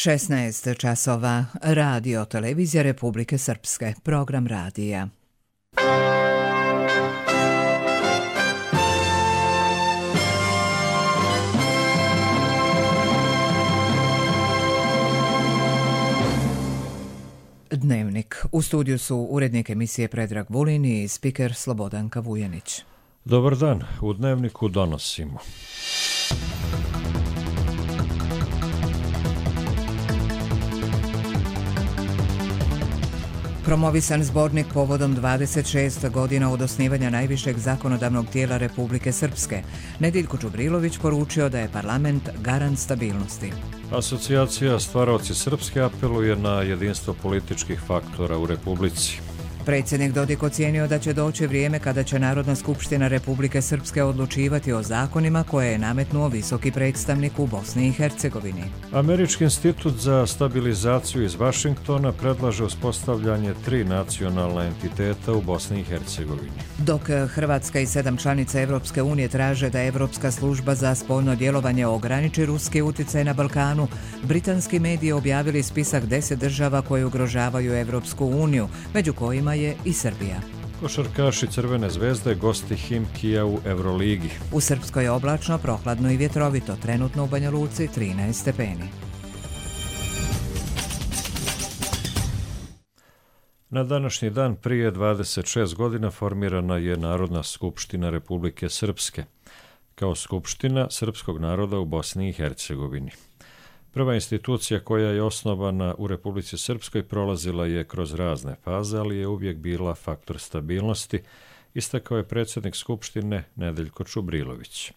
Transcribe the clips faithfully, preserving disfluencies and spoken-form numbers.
šesnaest časova. Radio Televizija Republike Srpske. Program radija. Dnevnik. U studiju su urednik emisije Predrag Vulin i spiker Slobodanka Vujanić. Dobar dan. U Dnevniku donosimo. Promovisan zbornik povodom dvadeset šest godina od osnivanja najvišeg zakonodavnog tijela Republike Srpske. Nediljko Čubrilović poručio da je parlament garant stabilnosti. Asocijacija Stvaraoci Srpske apeluje na jedinstvo političkih faktora u Republici. Predsjednik Dodik ocijenio da će doći vrijeme kada će Narodna skupština Republike Srpske odlučivati o zakonima koje je nametnuo visoki predstavnik u Bosni i Hercegovini. Američki institut za stabilizaciju iz Vašingtona predlaže uspostavljanje tri nacionalna entiteta u Bosni i Hercegovini. Dok Hrvatska i sedam članica Evropske unije traže da Evropska služba za spoljno djelovanje ograniči ruski utjecaj na Balkanu, britanski mediji objavili spisak deset država koje ugrožavaju Evropsku uniju, među kojima je i Srbija. Košarkaši Crvene zvezde gosti Himkija u Euroligi. U Srpskoj je oblačno, prohladno i vjetrovito, trenutno u Banja Luci trinaest stepeni. Na današnji dan prije dvadeset šest godina formirana je Narodna skupština Republike Srpske kao skupština srpskog naroda u Bosni i Hercegovini. Prva institucija koja je osnovana u Republici Srpskoj prolazila je kroz razne faze, ali je uvijek bila faktor stabilnosti, istakao je predsjednik Skupštine Nediljko Čubrilović.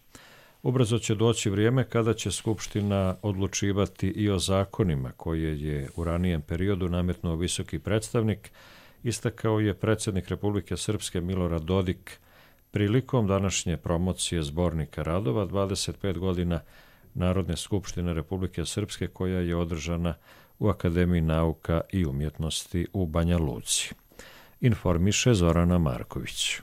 Ubrzo će doći vrijeme kada će Skupština odlučivati i o zakonima koje je u ranijem periodu nametnuo visoki predstavnik, istakao je predsjednik Republike Srpske Milorad Dodik prilikom današnje promocije zbornika radova dvadeset pet godina Narodne skupštine Republike Srpske koja je održana u Akademiji nauka i umjetnosti u Banja Luci. Informiše Zorana Marković.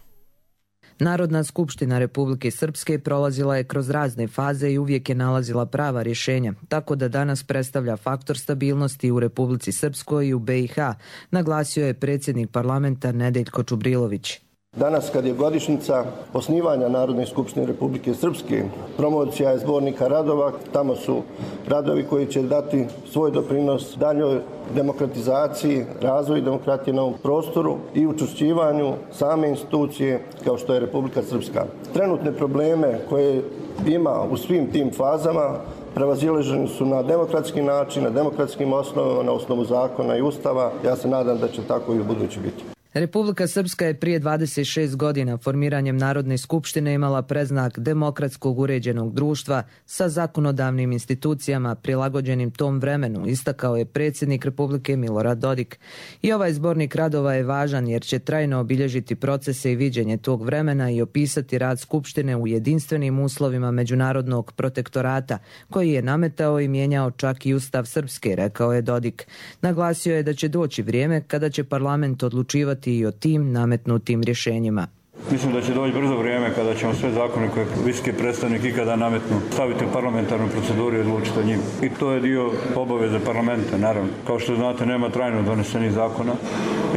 Narodna skupština Republike Srpske prolazila je kroz razne faze i uvijek je nalazila prava rješenja, tako da danas predstavlja faktor stabilnosti u Republici Srpskoj i u be i ha, naglasio je predsjednik parlamenta Nediljko Čubrilović. Danas, kad je godišnjica osnivanja Narodne skupštine Republike Srpske, promocija je zbornika radova. Tamo su radovi koji će dati svoj doprinos daljoj demokratizaciji, razvoju demokratije na ovom prostoru i učvršćivanju same institucije kao što je Republika Srpska. Trenutne probleme koje ima u svim tim fazama prevazilaženi su na demokratski način, na demokratskim osnovama, na osnovu zakona i ustava. Ja se nadam da će tako i u budući biti. Republika Srpska je prije dvadeset šest godina formiranjem Narodne skupštine imala predznak demokratskog uređenog društva sa zakonodavnim institucijama prilagođenim tom vremenu, istakao je predsjednik Republike Milorad Dodik. I ovaj zbornik radova je važan jer će trajno obilježiti procese i viđenje tog vremena i opisati rad Skupštine u jedinstvenim uslovima međunarodnog protektorata koji je nametao i mijenjao čak i Ustav Srpske, rekao je Dodik. Naglasio je da će doći vrijeme kada će parlament odlučivati i o tim nametnutim rješenjima. Mislim da će doći brzo vrijeme kada ćemo sve zakone koje visoki predstavnik ikada nametnu staviti u parlamentarnu proceduru i odlučiti o njim. I to je dio obaveze parlamenta, naravno. Kao što znate, nema trajno donesenih zakona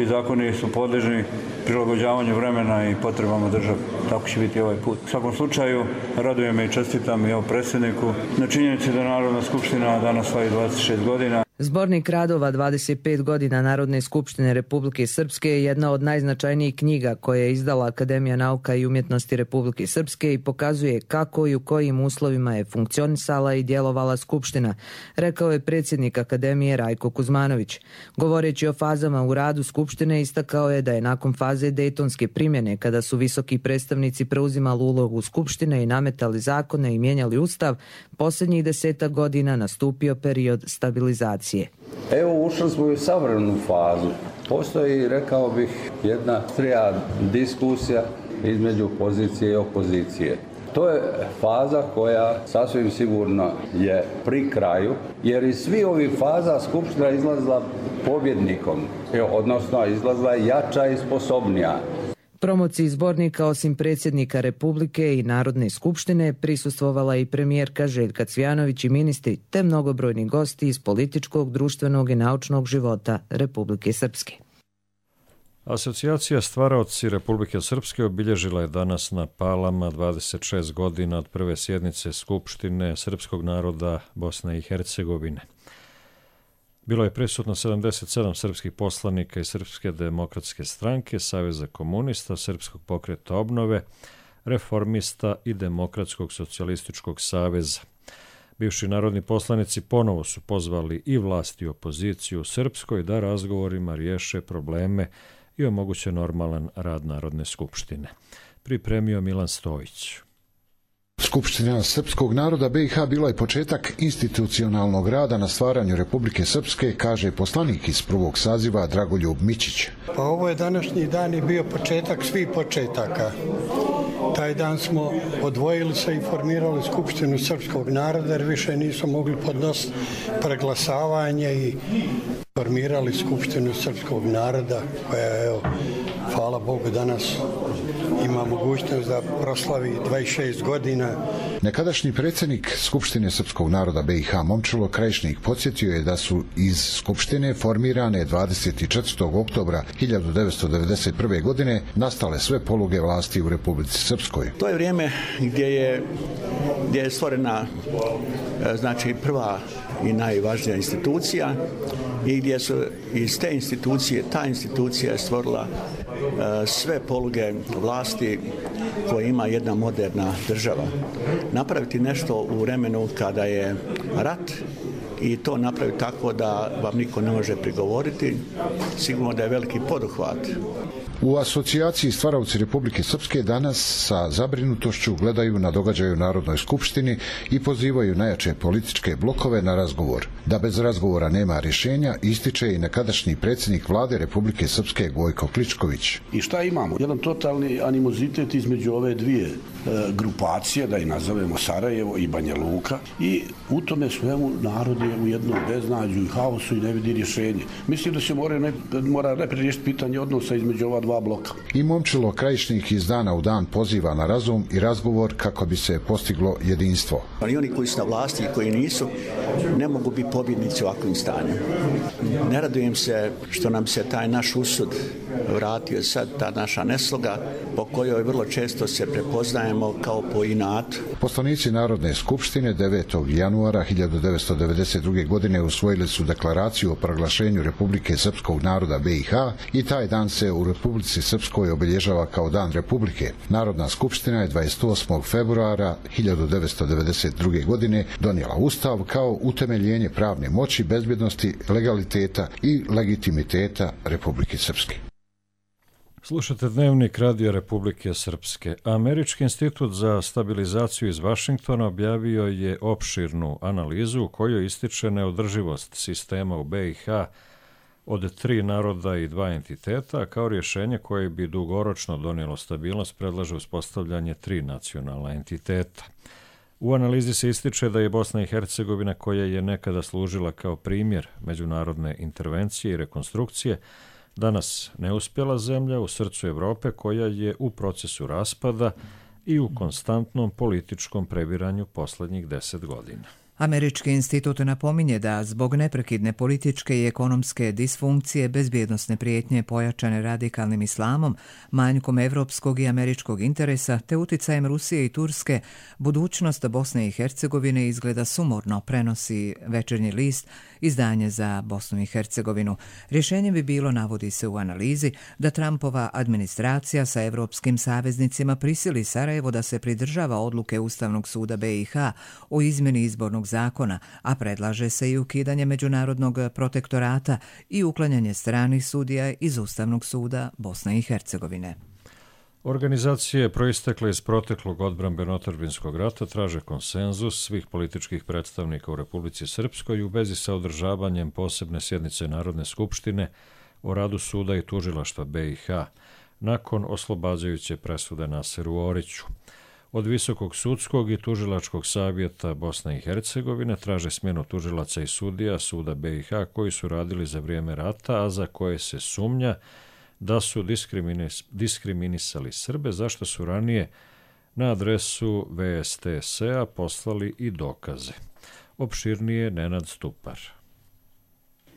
i zakoni su podležni prilagođavanju vremena i potrebama države. Tako će biti ovaj put. U svakom slučaju, radujem me i čestitam i ovom predsjedniku na činjenici da Narodna skupština danas slavi dvadeset šest godina. Zbornik radova dvadeset pet godina Narodne skupštine Republike Srpske je jedna od najznačajnijih knjiga koje je izdala Akademija nauka i umjetnosti Republike Srpske i pokazuje kako i u kojim uslovima je funkcionisala i djelovala Skupština, rekao je predsjednik Akademije Rajko Kuzmanović. Govoreći o fazama u radu Skupštine, istakao je da je nakon faze Dejtonske primjene, kada su visoki predstavnici preuzimali ulogu Skupštine i nametali zakone i mijenjali Ustav, posljednjih desetak godina nastupio period stabilizacije. Evo, ušli smo u savremenu fazu. Postoji, rekao bih, jedna strija diskusija između pozicije i opozicije. To je faza koja sasvim sigurno je pri kraju, jer iz svih ovih faza Skupština izlazila pobjednikom, odnosno izlazila jača i sposobnija. Promociji zbornika osim predsjednika Republike i Narodne skupštine prisustvovala i premijerka Željka Cvjanović i ministri te mnogobrojni gosti iz političkog, društvenog i naučnog života Republike Srpske. Asocijacija stvaraoci Republike Srpske obilježila je danas na Palama dvadeset šest godina od prve sjednice Skupštine srpskog naroda Bosne i Hercegovine. Bilo je prisutno sedamdeset sedam srpskih poslanika iz Srpske demokratske stranke, Saveza komunista, Srpskog pokreta obnove, Reformista i Demokratskog socijalističkog saveza. Bivši narodni poslanici ponovo su pozvali i vlast i opoziciju u Srpskoj da razgovorima riješe probleme i omoguće normalan rad Narodne skupštine. Pripremio Milan Stojić. Skupština Srpskog naroda B i H bila je početak institucionalnog rada na stvaranju Republike Srpske, kaže poslanik iz prvog saziva Dragoljub Mićić. Pa ovo je današnji dan i bio početak svih početaka. Taj dan smo odvojili se i formirali Skupštinu Srpskog naroda jer više nisu mogli podnositi preglasavanje i formirali Skupštinu Srpskog naroda koja, evo, hvala Bogu, danas ima mogućnost da proslavi dvadeset šest godina. Nekadašnji predsjednik Skupštine Srpskog naroda B i H Momčilo Krajišnik podsjetio je da su iz Skupštine formirane dvadeset četvrtog oktobra hiljadu devetsto devedeset prve. godine nastale sve poluge vlasti u Republici Srpskoj. To je vrijeme gdje je, gdje je stvorena znači prva i najvažnija institucija i gdje su iz te institucije, ta institucija je stvorila e, sve poluge vlasti koje ima jedna moderna država. Napraviti nešto u vremenu kada je rat i to napraviti tako da vam niko ne može prigovoriti, sigurno da je veliki poduhvat. U asocijaciji Stvaraoci Republike Srpske danas sa zabrinutošću gledaju na događaje u Narodnoj skupštini i pozivaju najjače političke blokove na razgovor. Da bez razgovora nema rješenja, ističe i nekadašnji predsjednik vlade Republike Srpske Gojko Kličković. I šta imamo? Jedan totalni animozitet između ove dvije e, grupacije, da i nazovemo Sarajevo i Banja Luka, i u tome svemu narod je u jednom beznađu i haosu i ne vidi rješenje. Mislim da se mora, ne, mora najprije riješiti pitanje odnosa između ova dva bloka. I Momčilo Krajišnik iz dana u dan poziva na razum i razgovor kako bi se postiglo jedinstvo. I oni koji su na vlasti i koji nisu, ne mogu biti pobjednici u ovakvim stanjem. Ne radujem se što nam se taj naš usud vratio sad, ta naša nesloga po kojoj vrlo često se prepoznajemo kao po inatu. Poslanici Narodne skupštine devetog januara hiljadu devetsto devedeset druge. godine usvojili su deklaraciju o proglašenju Republike Srpskog naroda B i H i taj dan se u Republici Srpskoj obilježava kao Dan Republike. Narodna skupština je dvadeset osmog februara hiljadu devetsto devedeset druge. godine donijela Ustav kao utemeljenje pravne moći, bezbjednosti, legaliteta i legitimiteta Republike Srpske. Slušate Dnevnik Radio Republike Srpske. Američki institut za stabilizaciju iz Vašingtona objavio je opširnu analizu u kojoj ističe neodrživost sistema u B i H od tri naroda i dva entiteta, kao rješenje koje bi dugoročno donijelo stabilnost predlaže uspostavljanje tri nacionalna entiteta. U analizi se ističe da je Bosna i Hercegovina, koja je nekada služila kao primjer međunarodne intervencije i rekonstrukcije, danas neuspjela zemlja u srcu Evrope koja je u procesu raspada i u konstantnom političkom prebiranju posljednjih deset godina. Američki institut napominje da zbog neprekidne političke i ekonomske disfunkcije, bezbjednosne prijetnje pojačane radikalnim islamom, manjkom evropskog i američkog interesa te uticajem Rusije i Turske, budućnost Bosne i Hercegovine izgleda sumorno, prenosi Večernji list, izdanje za Bosnu i Hercegovinu. Rješenje bi bilo, navodi se u analizi, da Trumpova administracija sa evropskim saveznicima prisili Sarajevo da se pridržava odluke Ustavnog suda B i H o izmjeni izbornog zakona, a predlaže se i ukidanje međunarodnog protektorata i uklanjanje stranih sudija iz Ustavnog suda Bosne i Hercegovine. Organizacije proistekle iz proteklog odbrambeno-otadžbinskog rata traže konsenzus svih političkih predstavnika u Republici Srpskoj u vezi sa održavanjem posebne sjednice Narodne skupštine o radu suda i tužilaštva B i H nakon oslobađajuće presude Naseru Oriću. Od Visokog sudskog i tužilačkog savjeta Bosne i Hercegovine traže smjenu tužilaca i sudija suda B i H koji su radili za vrijeme rata, a za koje se sumnja da su diskriminis, diskriminisali Srbe, zašto su ranije na adresu V S T S-a poslali i dokaze. Opširnije Nenad Stupar.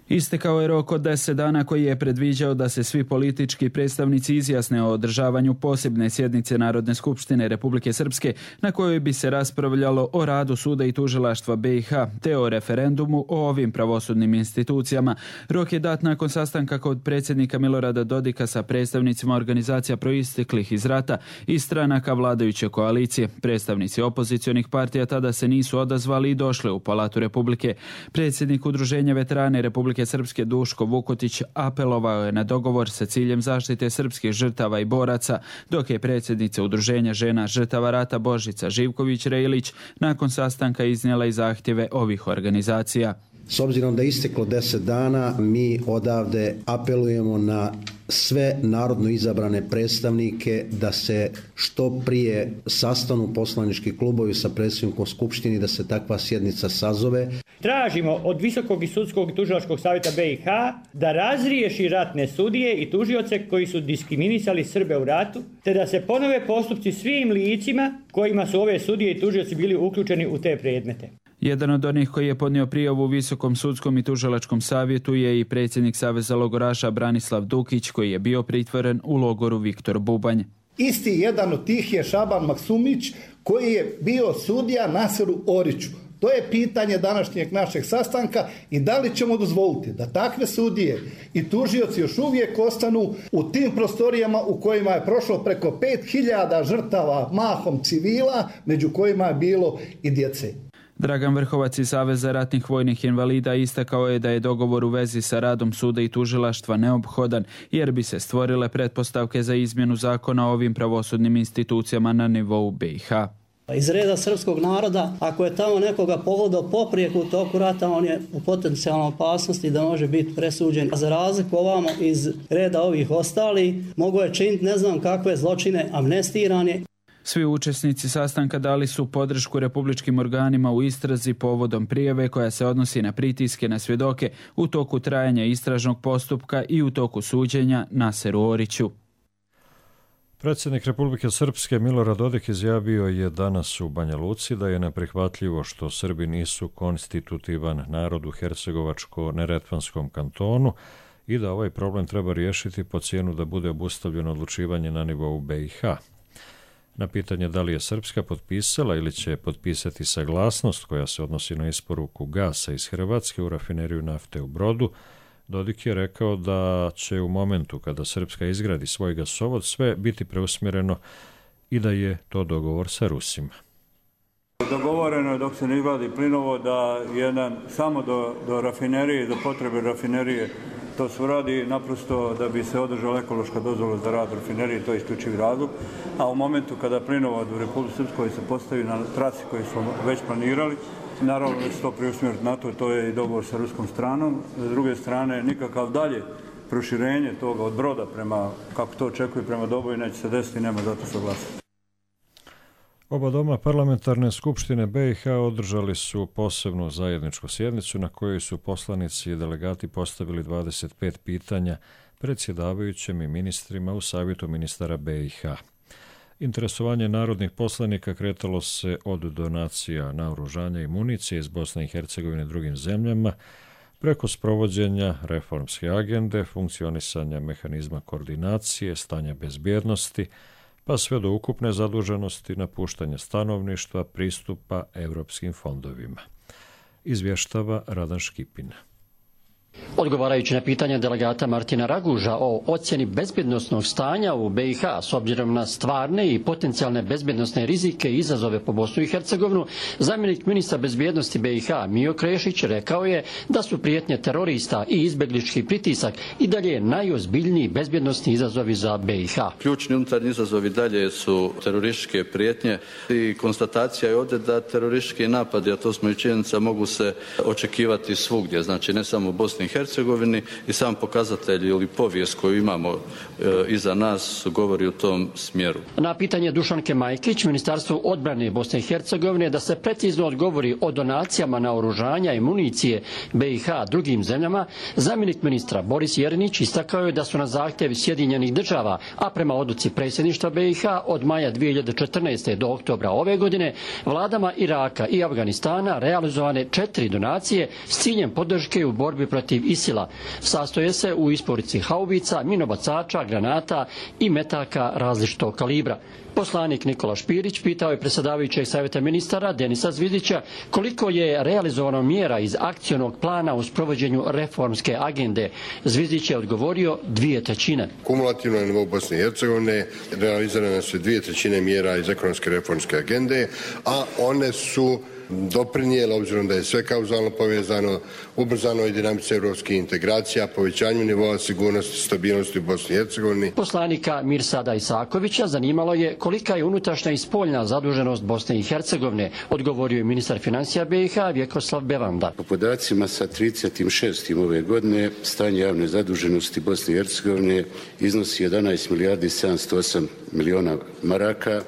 Istekao je rok od deset dana koji je predviđao da se svi politički predstavnici izjasne o održavanju posebne sjednice Narodne skupštine Republike Srpske na kojoj bi se raspravljalo o radu suda i tužilaštva B i H te o referendumu o ovim pravosudnim institucijama. Rok je dat nakon sastanka kod predsjednika Milorada Dodika sa predstavnicima organizacija proisteklih iz rata i stranaka vladajuće koalicije. Predstavnici opozicionih partija tada se nisu odazvali i došli u Palatu Republike. Predsjednik Udruženja veterane Republike Srpske Duško Vukotić apelovao je na dogovor sa ciljem zaštite srpskih žrtava i boraca, dok je predsjednica Udruženja žena žrtava rata Božica Živković-Rejlić nakon sastanka iznijela i zahtjeve ovih organizacija. S obzirom da je isteklo deset dana, mi odavde apelujemo na sve narodno izabrane predstavnike da se što prije sastanu poslanički klubovi sa predsjednikom Skupštini, da se takva sjednica sazove. Tražimo od Visokog i sudskog i tužilačkog savjeta B i H da razriješi ratne sudije i tužioce koji su diskriminisali Srbe u ratu, te da se ponove postupci svim licima kojima su ove sudije i tužioci bili uključeni u te predmete. Jedan od onih koji je podnio prijavu u Visokom sudskom i tužilačkom savjetu je i predsjednik Saveza logoraša Branislav Dukić, koji je bio pritvoren u logoru Viktor Bubanj. Isti jedan od tih je Šaban Maksumić, koji je bio sudija Naseru Oriću. To je pitanje današnjeg našeg sastanka i da li ćemo dozvoliti da takve sudije i tužioci još uvijek ostanu u tim prostorijama u kojima je prošlo preko pet hiljada žrtava, mahom civila, među kojima je bilo i djece. Dragan Vrhovac iz Saveza ratnih vojnih invalida istakao je da je dogovor u vezi sa radom suda i tužilaštva neophodan, jer bi se stvorile pretpostavke za izmjenu zakona o ovim pravosudnim institucijama na nivou B i H. Iz reda srpskog naroda, ako je tamo nekoga pogodao poprijeku u toku rata, on je u potencijalnoj opasnosti da može biti presuđen. A za razliku ovamo iz reda ovih ostali, mogo je činiti ne znam kakve zločine, amnestiran je. Svi učesnici sastanka dali su podršku republičkim organima u istrazi povodom prijave koja se odnosi na pritiske na svjedoke u toku trajanja istražnog postupka i u toku suđenja Naseru Oriću. Predsjednik Republike Srpske Milorad Dodik izjavio je danas u Banja Luci da je neprihvatljivo što Srbi nisu konstitutivan narod u Hercegovačko-Neretvanskom kantonu i da ovaj problem treba riješiti po cijenu da bude obustavljeno odlučivanje na nivou B i H. Na pitanje da li je Srpska potpisala ili će potpisati saglasnost koja se odnosi na isporuku gasa iz Hrvatske u rafineriju nafte u Brodu, Dodik je rekao da će u momentu kada Srpska izgradi svoj gasovod sve biti preusmjereno i da je to dogovor sa Rusima. Dogovoreno je dok se ne izgradi plinovod da jedan samo do, do rafinerije, do potrebe rafinerije to se radi naprosto da bi se održala ekološka dozvola za rad rafinerije, to je isključivi razlog. A u momentu kada plinovod u Republici Srpskoj se postavi na trasi koju smo već planirali, naravno da se to preusmjeriti na to, to je i dogovor sa ruskom stranom. S druge strane, nikakav dalje proširenje toga od Broda prema, kako to očekuje, prema Doboju neće se desiti, nema zato saglasiti. Oba doma parlamentarne skupštine B i H održali su posebnu zajedničku sjednicu na kojoj su poslanici i delegati postavili dvadeset pet pitanja predsjedavajućim i ministrima u savjetu ministara B i H. Interesovanje narodnih poslanika kretalo se od donacija naoružanja i municije iz Bosne i Hercegovine drugim zemljama, preko sprovođenja reformske agende, funkcionisanja mehanizma koordinacije, stanja bezbjednosti, pa sve do ukupne zaduženosti, napuštanja stanovništva, pristupa europskim fondovima. Izvještava Radan Škipin. Odgovarajući na pitanja delegata Martina Raguža o ocjeni bezbjednosnog stanja u B i H s obzirom na stvarne i potencijalne bezbjednosne rizike i izazove po Bosnu i Hercegovinu, zamjenik ministra bezbjednosti B i H Mijo Krešić rekao je da su prijetnje terorista i izbjeglički pritisak i dalje najozbiljniji bezbjednosni izazovi za B i H. Ključni unutarnji izazovi dalje su terorističke prijetnje i konstatacija je ovdje da teroristički napadi, a to smo i činjenica, mogu se očekivati svugdje, znači ne samo u Bosni i Hercegovini, Hercegovini i sam pokazatelj ili povijest koju imamo iza nas govori u tom smjeru. Na pitanje Dušanke Majkić, Ministarstvo odbrane Bosne i Hercegovine, da se precizno odgovori o donacijama naoružanja i municije B i H drugim zemljama, zamjenik ministra Boris Jerinić istakao je da su na zahtjev Sjedinjenih država, a prema odluci predsjedništva B i H od maja dvije hiljade četrnaeste. do oktobra ove godine, vladama Iraka i Afganistana realizovane četiri donacije s ciljem podrške u borbi protiv Isila. Sastoje se u isporuci haubica, minobacača, granata i metaka različitog kalibra. Poslanik Nikola Špirić pitao je predsjedavajućeg savjeta ministara Denisa Zvidića koliko je realizovano mjera iz akcionog plana u sprovođenju reformske agende. Zvidić je odgovorio dvije trećine. Kumulativno na nivou Bosne i Hercegovine realizirane su dvije trećine mjera iz ekonomske reformske agende, a one su doprinijela, obzirom da je sve kauzalno povezano, ubrzanoj dinamici europskih integracija, povećanju nivoa sigurnosti i stabilnosti u Bosni i Hercegovini. Poslanika Mirsada Isakovića zanimalo je kolika je unutrašnja i spoljna zaduženost Bosne i Hercegovine, odgovorio je ministar financija B i H Vjekoslav Bevanda. Po podacima sa trideset šestom ove godine stanje javne zaduženosti Bosne i Hercegovine iznosi jedanaest milijardi sedamsto osam miliona maraka,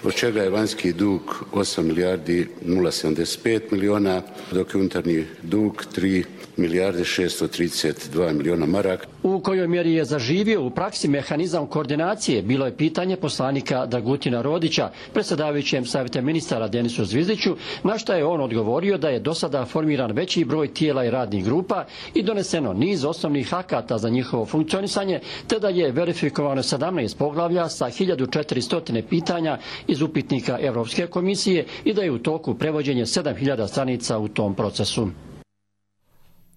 od čega je vanjski dug osam milijardi nula sedamdeset pet miliona, dok je unutarnji dug tri milijarde šesto trideset dva miliona maraka. U kojoj mjeri je zaživio u praksi mehanizam koordinacije, bilo je pitanje poslanika Dragutina Rodića, predsjedavajućem savjeta ministara Denisu Zvizdiću, na što je on odgovorio da je do sada formiran veći broj tijela i radnih grupa i doneseno niz osnovnih akata za njihovo funkcionisanje, te da je verifikovano sedamnaest poglavlja sa hiljadu četiristo pitanja iz upitnika Europske komisije i da je u toku prevođenje sedam hiljada stranica u tom procesu.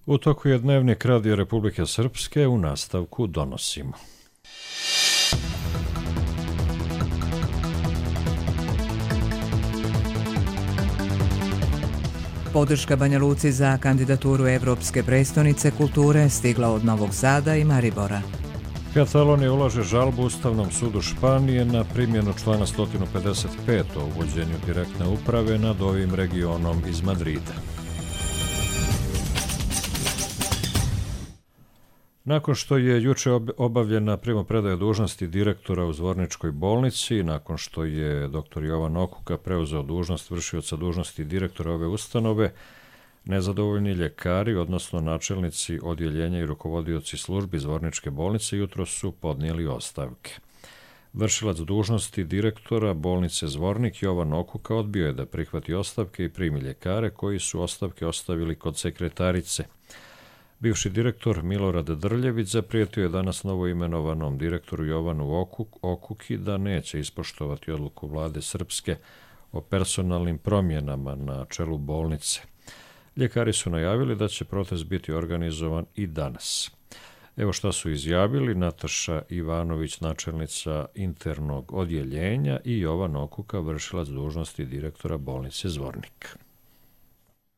U toku je dnevnik Radio Republike Srpske, u nastavku donosimo. Podrška Banja Luci za kandidaturu Evropske prestonice kulture stigla od Novog Sada i Maribora. Katalonija ulaže žalbu Ustavnom sudu Španije na primjenu člana sto pedeset pet o uvođenju direktne uprave nad ovim regionom iz Madrida. Nakon što je juče obavljena primopredaja dužnosti direktora u Zvorničkoj bolnici i nakon što je doktor Jovan Okuka preuzeo dužnost vršioca dužnosti direktora ove ustanove, nezadovoljni ljekari, odnosno načelnici odjeljenja i rukovodioci službi Zvorničke bolnice jutro su podnijeli ostavke. Vršilac dužnosti direktora bolnice Zvornik Jovan Okuka odbio je da prihvati ostavke i primi ljekare koji su ostavke ostavili kod sekretarice. Bivši direktor Milorad Drljević zaprijetio je danas novoimenovanom direktoru Jovanu Okuk, Okuki da neće ispoštovati odluku vlade Srpske o personalnim promjenama na čelu bolnice. Ljekari su najavili da će protest biti organizovan i danas. Evo šta su izjavili Nataša Ivanović, načelnica internog odjeljenja, i Jovan Okuka, vršilac dužnosti direktora bolnice Zvornik.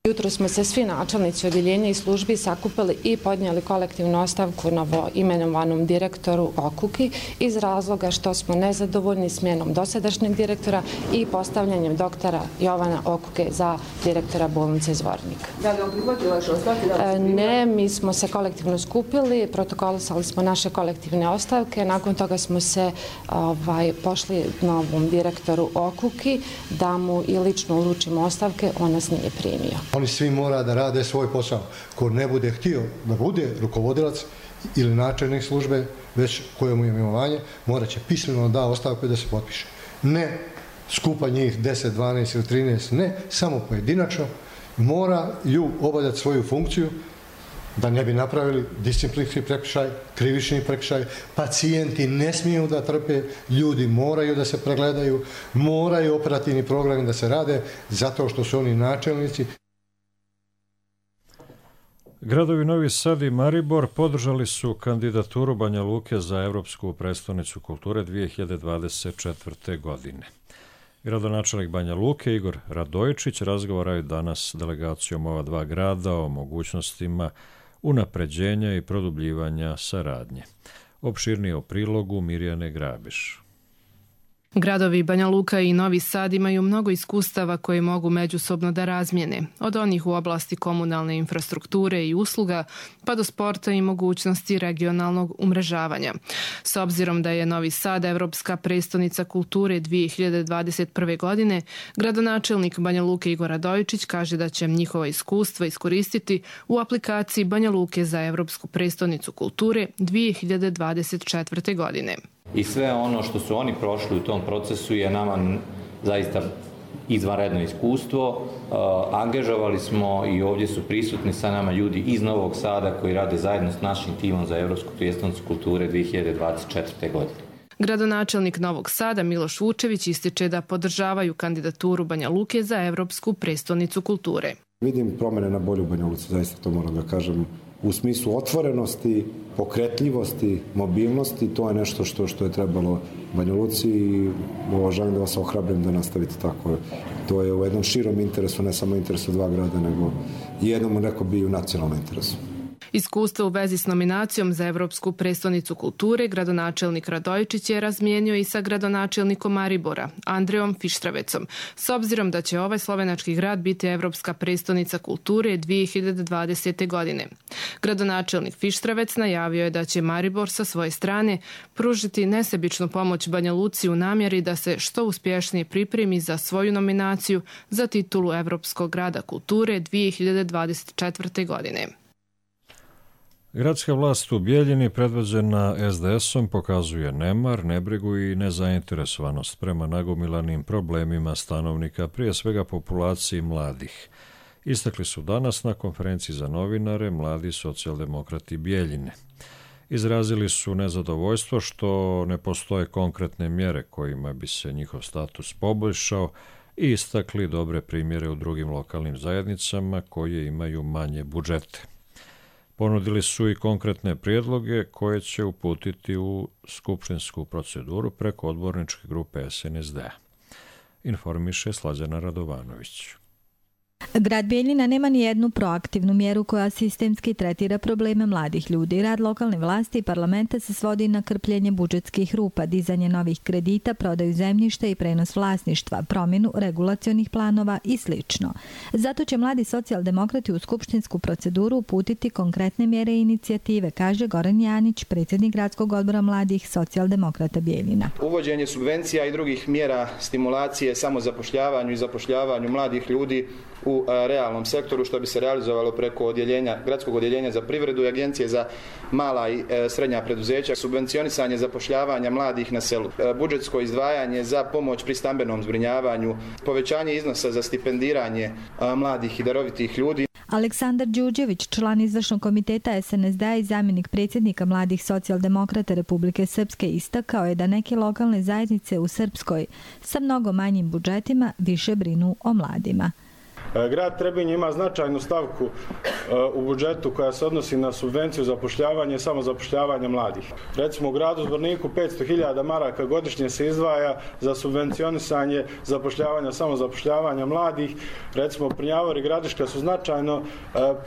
Jutro smo se svi načelnici odjeljenja i službi sakupili i podnijeli kolektivnu ostavku novo imenovanom direktoru Okuki iz razloga što smo nezadovoljni smjenom dosadašnjeg direktora i postavljanjem doktora Jovana Okuke za direktora bolnice Zvornik. Da li on prihvatio vaše ostavke? Ne, mi smo se kolektivno skupili, protokolisali smo naše kolektivne ostavke, nakon toga smo se ovaj, pošli novom direktoru Okuki da mu i lično uručimo ostavke, on nas nije primio. Oni svi mora da rade svoj posao. Ko ne bude htio da bude rukovodilac ili načelnik službe, već kojemu je imenovanje, morat će pismeno da ostavku i da se potpiše. Ne skupa njih deset, dvanaest ili trinaest, ne, samo pojedinačno moraju obavljati svoju funkciju da ne bi napravili disciplinski prekršaj, krivični prekršaj. Pacijenti ne smiju da trpe, ljudi moraju da se pregledaju, moraju operativni programi da se rade zato što su oni načelnici. Gradovi Novi Sad i Maribor podržali su kandidaturu Banja Luke za Evropsku prestonicu kulture dvije hiljade dvadeset četvrte. godine. Gradonačelnik Banja Luke Igor Radojičić razgovaraju danas s delegacijom ova dva grada o mogućnostima unapređenja i produbljivanja saradnje. Opširnije o prilogu Mirjane Grabiš. Gradovi Banja Luka i Novi Sad imaju mnogo iskustava koje mogu međusobno da razmijene, od onih u oblasti komunalne infrastrukture i usluga, pa do sporta i mogućnosti regionalnog umrežavanja. S obzirom da je Novi Sad Evropska prestonica kulture dvije hiljade dvadeset prve. godine, gradonačelnik Banja Luke Igor Radojičić kaže da će njihova iskustva iskoristiti u aplikaciji Banja Luke za Evropsku prestonicu kulture dvije hiljade dvadeset četvrte. godine. I sve ono što su oni prošli u tom procesu je nama zaista izvanredno iskustvo. Uh, angažovali smo i ovdje su prisutni sa nama ljudi iz Novog Sada koji rade zajedno s našim timom za Evropsku prijestolnicu kulture dvije hiljade dvadeset četvrte. godine. Gradonačelnik Novog Sada Miloš Vučević ističe da podržavaju kandidaturu Banja Luke za Evropsku prestolnicu kulture. Vidim promjene na bolju Banja Luci, zaista to moram da kažem. U smislu otvorenosti, pokretljivosti, mobilnosti, to je nešto što, što je trebalo Banja Luci i želim da vas ohrabrim da nastavite tako. To je u jednom širom interesu, ne samo interesu dva grada, nego i jednom neko bi u nacionalnom interesu. Iskustvo u vezi s nominacijom za Evropsku prestonicu kulture gradonačelnik Radojičić je razmijenio i sa gradonačelnikom Maribora, Andrejom Fištravecom, s obzirom da će ovaj slovenački grad biti Evropska prestonica kulture dvije hiljade dvadesete. godine. Gradonačelnik Fištravec najavio je da će Maribor sa svoje strane pružiti nesebičnu pomoć Banja Luci u namjeri da se što uspješnije pripremi za svoju nominaciju za titulu Evropskog grada kulture dvije hiljade dvadeset četvrte. godine. Gradska vlast u Bijeljini, predvođena es de esom, pokazuje nemar, nebrigu i nezainteresovanost prema nagomilanim problemima stanovnika, prije svega populaciji mladih. Istakli su danas na konferenciji za novinare mladi socijaldemokrati Bijeljine. Izrazili su nezadovoljstvo što ne postoje konkretne mjere kojima bi se njihov status poboljšao i istakli dobre primjere u drugim lokalnim zajednicama koje imaju manje budžete. Ponudili su i konkretne prijedloge koje će uputiti u skupštinsku proceduru preko odborničke grupe es en es de a. Informiše Slađana Radovanović. Grad Bijeljina nema ni jednu proaktivnu mjeru koja sistemski tretira probleme mladih ljudi. Rad lokalne vlasti i parlamenta se svodi na krpljenje budžetskih rupa, dizanje novih kredita, prodaju zemljišta i prenos vlasništva, promjenu regulacionih planova i sl. Zato će mladi socijaldemokrati u skupštinsku proceduru uputiti konkretne mjere i inicijative, kaže Goran Janić, predsjednik gradskog odbora mladih socijaldemokrata Bijeljina. Uvođenje subvencija i drugih mjera stimulacije samozapošljavanju i zapošljavanju mladih ljudi u realnom sektoru, što bi se realizovalo preko odjeljenja, gradskog odjeljenja za privredu i agencije za mala i srednja preduzeća, subvencionisanje zapošljavanja mladih na selu, budžetsko izdvajanje za pomoć pri stambenom zbrinjavanju, povećanje iznosa za stipendiranje mladih i darovitih ljudi. Aleksandar Đuđević, član izvršnog komiteta es en es de a i zamjenik predsjednika mladih socijaldemokrata Republike Srpske, istakao je da neke lokalne zajednice u Srpskoj sa mnogo manjim budžetima više brinu o mladima. Grad Trebinj ima značajnu stavku u budžetu koja se odnosi na subvenciju zapošljavanja i samozapošljavanja mladih. Recimo u gradu Zvorniku petsto hiljada maraka godišnje se izdvaja za subvencionisanje zapošljavanja, samozapošljavanja mladih. Recimo Prnjavor i Gradiška su značajno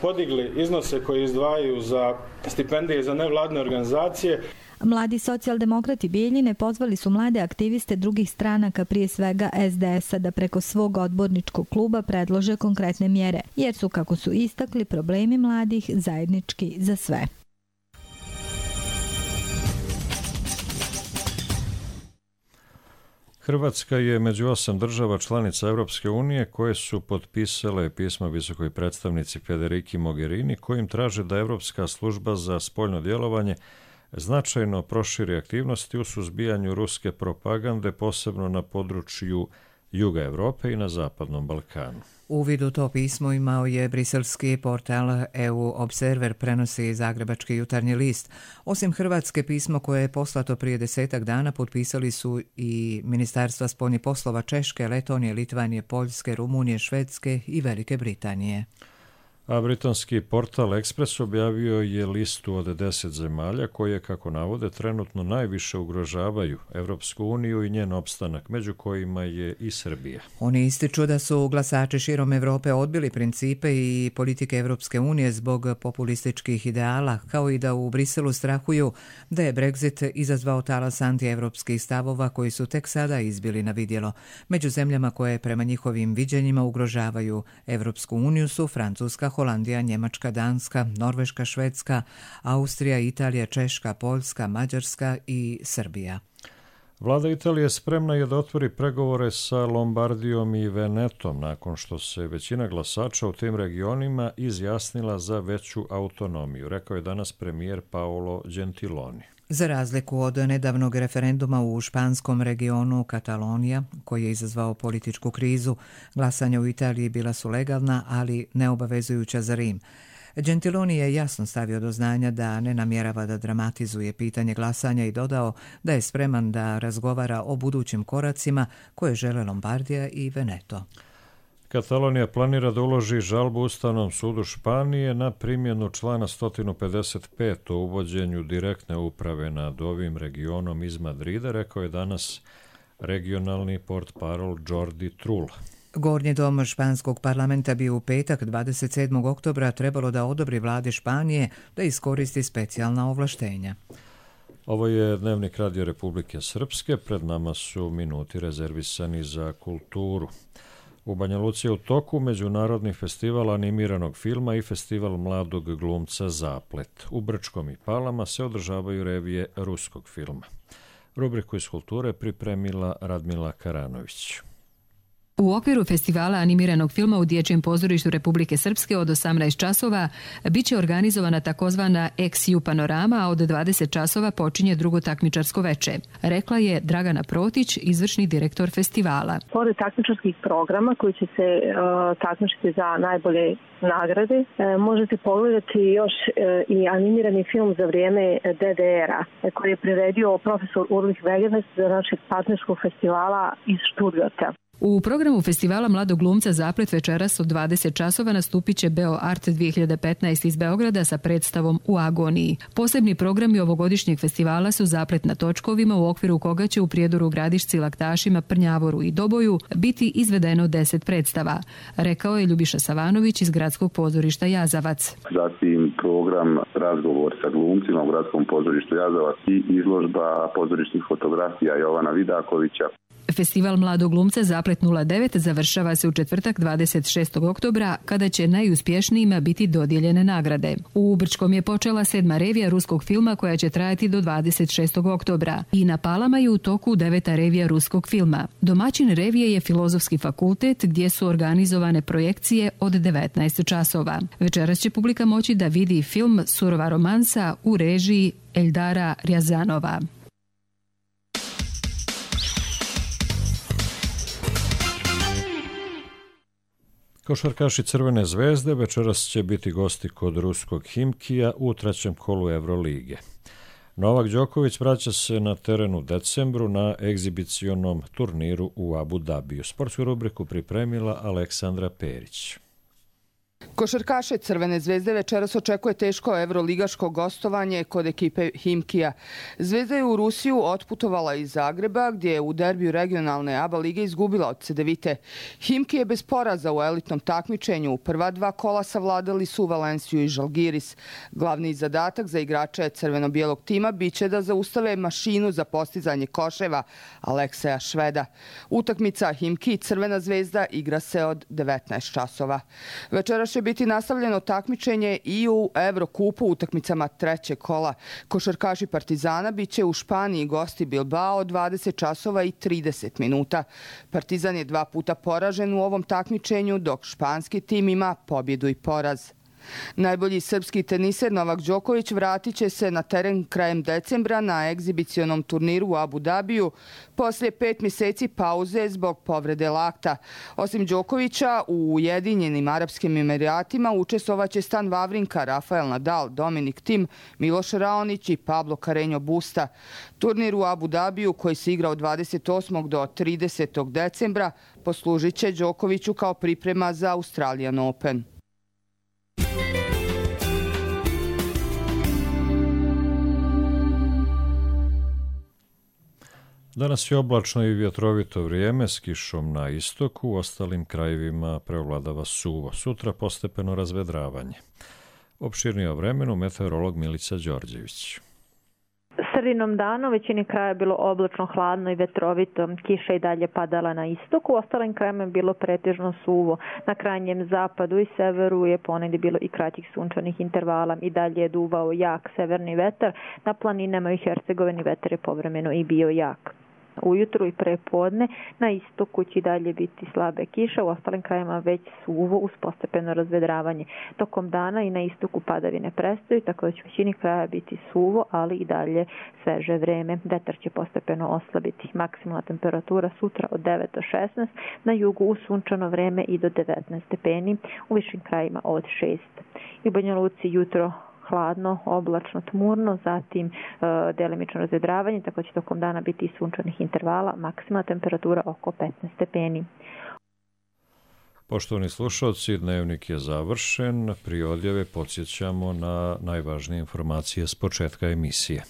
podigli iznose koje izdvajaju za stipendije za nevladine organizacije. Mladi socijaldemokrati Bijeljine pozvali su mlade aktiviste drugih stranaka, prije svega es de esa, da preko svog odborničkog kluba predlože konkretne mjere, jer su, kako su istakli, problemi mladih zajednički za sve. Hrvatska je među osam država članica Europske unije koje su potpisale pismo visokoj predstavnici Federiki Mogherini kojim traže da Europska služba za spoljno djelovanje značajno proširi aktivnosti u suzbijanju ruske propagande, posebno na području Juga Europe i na Zapadnom Balkanu. Uvid u to pismo imao je briselski portal E U Observer, prenosi Zagrebački jutarnji list. Osim Hrvatske, pismo koje je poslato prije desetak dana potpisali su i Ministarstva spoljnih poslova Češke, Letonije, Litvanije, Poljske, Rumunije, Švedske i Velike Britanije. A britanski portal Express objavio je listu od deset zemalja koje, kako navode, trenutno najviše ugrožavaju Evropsku uniju i njen opstanak, među kojima je i Srbija. Oni ističu da su glasači širom Evrope odbili principe i politike Evropske unije zbog populističkih ideala, kao i da u Briselu strahuju da je Brexit izazvao talas antievropskih stavova koji su tek sada izbili na vidjelo. Među zemljama koje prema njihovim viđenjima ugrožavaju Evropsku uniju su Francuska, Holandija, Njemačka, Danska, Norveška, Švedska, Austrija, Italija, Češka, Poljska, Mađarska i Srbija. Vlada Italije spremna je da otvori pregovore sa Lombardijom i Venetom nakon što se većina glasača u tim regionima izjasnila za veću autonomiju, rekao je danas premijer Paolo Gentiloni. Za razliku od nedavnog referenduma u španskom regionu Katalonija, koji je izazvao političku krizu, glasanja u Italiji bila su legalna, ali neobavezujuća za Rim. Gentiloni je jasno stavio do znanja da ne namjerava da dramatizuje pitanje glasanja i dodao da je spreman da razgovara o budućim koracima koje žele Lombardija i Veneto. Katalonija planira da uloži žalbu Ustavnom sudu Španije na primjenu člana sto pedeset pet o uvođenju direktne uprave nad ovim regionom iz Madrida, rekao je danas regionalni portparol Jordi Trull. Gornji dom španskog parlamenta bi u petak dvadeset sedmog oktobra trebalo da odobri vladi Španije da iskoristi specijalna ovlaštenja. Ovo je Dnevnik Radio Republike Srpske, pred nama su minuti rezervisani za kulturu. U Banja Luci je u toku Međunarodni festival animiranog filma i festival mladog glumca Zaplet. U Brčkom i Palama se održavaju revije ruskog filma. Rubriku iz kulture pripremila Radmila Karanović. U okviru festivala animiranog filma u Dječjem pozorištu Republike Srpske od osamnaest časova bit će organizovana takozvana Ex Ju panorama, a od dvadeset časova počinje drugo takmičarsko veče. Rekla je Dragana Protić, izvršni direktor festivala. Pored takmičarskih programa koji će se uh, takmičiti za najbolje nagrade, e, možete pogledati još e, i animirani film za vrijeme D D R-a e, koji je priredio profesor Urlih Vegenes za našeg partnerskog festivala iz Stuttgarta. U programu festivala mladog glumca Zaplet večeras od dvadeset časova nastupit će Beo Art dvije hiljade petnaest iz Beograda sa predstavom U agoniji. Posebni programi ovogodišnjeg festivala su Zaplet na točkovima, u okviru koga će u Prijedoru, Gradišci, Laktašima, Prnjavoru i Doboju biti izvedeno deset predstava, rekao je Ljubiša Savanović iz Gradskog pozorišta Jazavac. Zatim program Razgovor sa glumcima u Gradskom pozorištu Jazavac i izložba pozorišnih fotografija Jovana Vidakovića. Festival mladog glumca Zaplet nula devet završava se u četvrtak dvadeset šestog oktobra, kada će najuspješnijima biti dodijeljene nagrade. U Brčkom je počela sedma revija ruskog filma koja će trajati do dvadeset šestog oktobra i na Palama je u toku deveta revija ruskog filma. Domaćin revije je Filozofski fakultet, gdje su organizovane projekcije od devetnaest časova. Večeras će publika moći da vidi film Surova romansa u režiji Eldara Rjazanova. Košarkaši Crvene zvezde večeras će biti gosti kod ruskog Himkija u trećem kolu Evrolige. Novak Đoković vraća se na teren u decembru na egzibicionom turniru u Abu Dabiju. Sportsku rubriku pripremila Aleksandra Perić. Košarkaše Crvene zvezde večeras očekuje teško evroligaško gostovanje kod ekipe Himkija. Zvezda je u Rusiju otputovala iz Zagreba, gdje je u derbiju regionalne ABA lige izgubila od Cedevite. Himki je bez poraza u elitnom takmičenju. U prva dva kola savladali su Valenciju i Žalgiris. Glavni zadatak za igrače crveno-bijelog tima biće da zaustave mašinu za postizanje koševa Alekseja Šveda. Utakmica Himki i Crvena zvezda igra se od devetnaest časova. Večeras će biti nastavljeno takmičenje i u Evrokupu utakmicama trećeg kola. Košarkaši Partizana biće u Španiji gosti Bilbao od dvadeset časova i trideset minuta. Partizan je dva puta poražen u ovom takmičenju, dok španski tim ima pobjedu i poraz. Najbolji srpski teniser Novak Đoković vratit će se na teren krajem decembra na egzibicionom turniru u Abu Dabiju poslije pet mjeseci pauze zbog povrede lakta. Osim Đokovića, u Ujedinjenim Arapskim Emiratima učestvovaće Stan Wawrinka, Rafael Nadal, Dominik Thiem, Miloš Raonić i Pablo Carreño Busta. Turnir u Abu Dabiju, koji se igra od dvadeset osmog do tridesetog decembra, poslužit će Đokoviću kao priprema za Australian Open. Danas je oblačno i vjetrovito vrijeme s kišom na istoku, u ostalim krajevima preovladava suvo. Sutra postepeno razvedravanje. Opširnije o vremenu meteorolog Milica Đorđević. Sredinom dana u većini kraja je bilo oblačno, hladno i vetrovito. Kiša i dalje padala na istoku, u ostalim krajima je bilo pretežno suvo. Na krajnjem zapadu i severu je ponegdje bilo i kraćih sunčanih intervala. I dalje je duvao jak severni vetar. Na planinama i Hercegovini vetar je povremeno i bio jak. Ujutru i prepodne na istoku će dalje biti slabe kiše, u ostalim krajima već suvo uz postepeno razvedravanje. Tokom dana i na istoku padavine prestaju, tako da će u većini kraja biti suvo, ali i dalje sveže vreme. Vetar će postepeno oslabiti. Maksimalna temperatura sutra od devet do šesnaest, na jugu u sunčano vreme i do devetnaest stepeni, u višim krajima od šest. I u Banja Luci jutro hladno, oblačno, tmurno, zatim e, delimično razvedravanje, tako će tokom dana biti i sunčanih intervala, maksimalna temperatura oko petnaest stepeni. Poštovani slušalci, dnevnik je završen. Prije odjave podsjećamo na najvažnije informacije s početka emisije.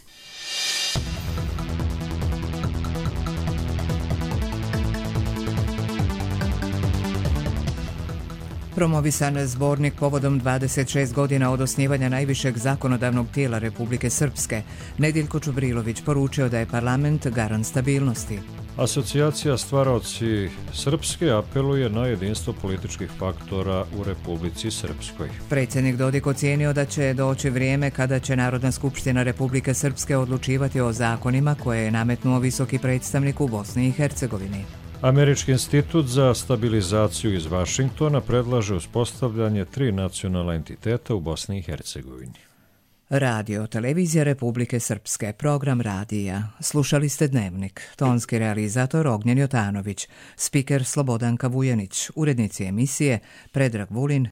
Promovisan zbornik povodom dvadeset šest godina od osnivanja najvišeg zakonodavnog tijela Republike Srpske. Nedjeljko Čubrilović poručio da je parlament garant stabilnosti. Asocijacija Stvaraoci Srpske apeluje na jedinstvo političkih faktora u Republici Srpskoj. Predsjednik Dodik ocijenio da će doći vrijeme kada će Narodna skupština Republike Srpske odlučivati o zakonima koje je nametnuo visoki predstavnik u Bosni i Hercegovini. Američki institut za stabilizaciju iz Vašingtona predlaže uspostavljanje tri nacionalna entiteta u Bosni i Hercegovini. Radio, televizija Republike Srpske, program radija. Slušali ste Dnevnik. Tonski realizator Ognjen Jotanović, spiker Slobodanka Vujanić, urednici emisije Predrag Vulin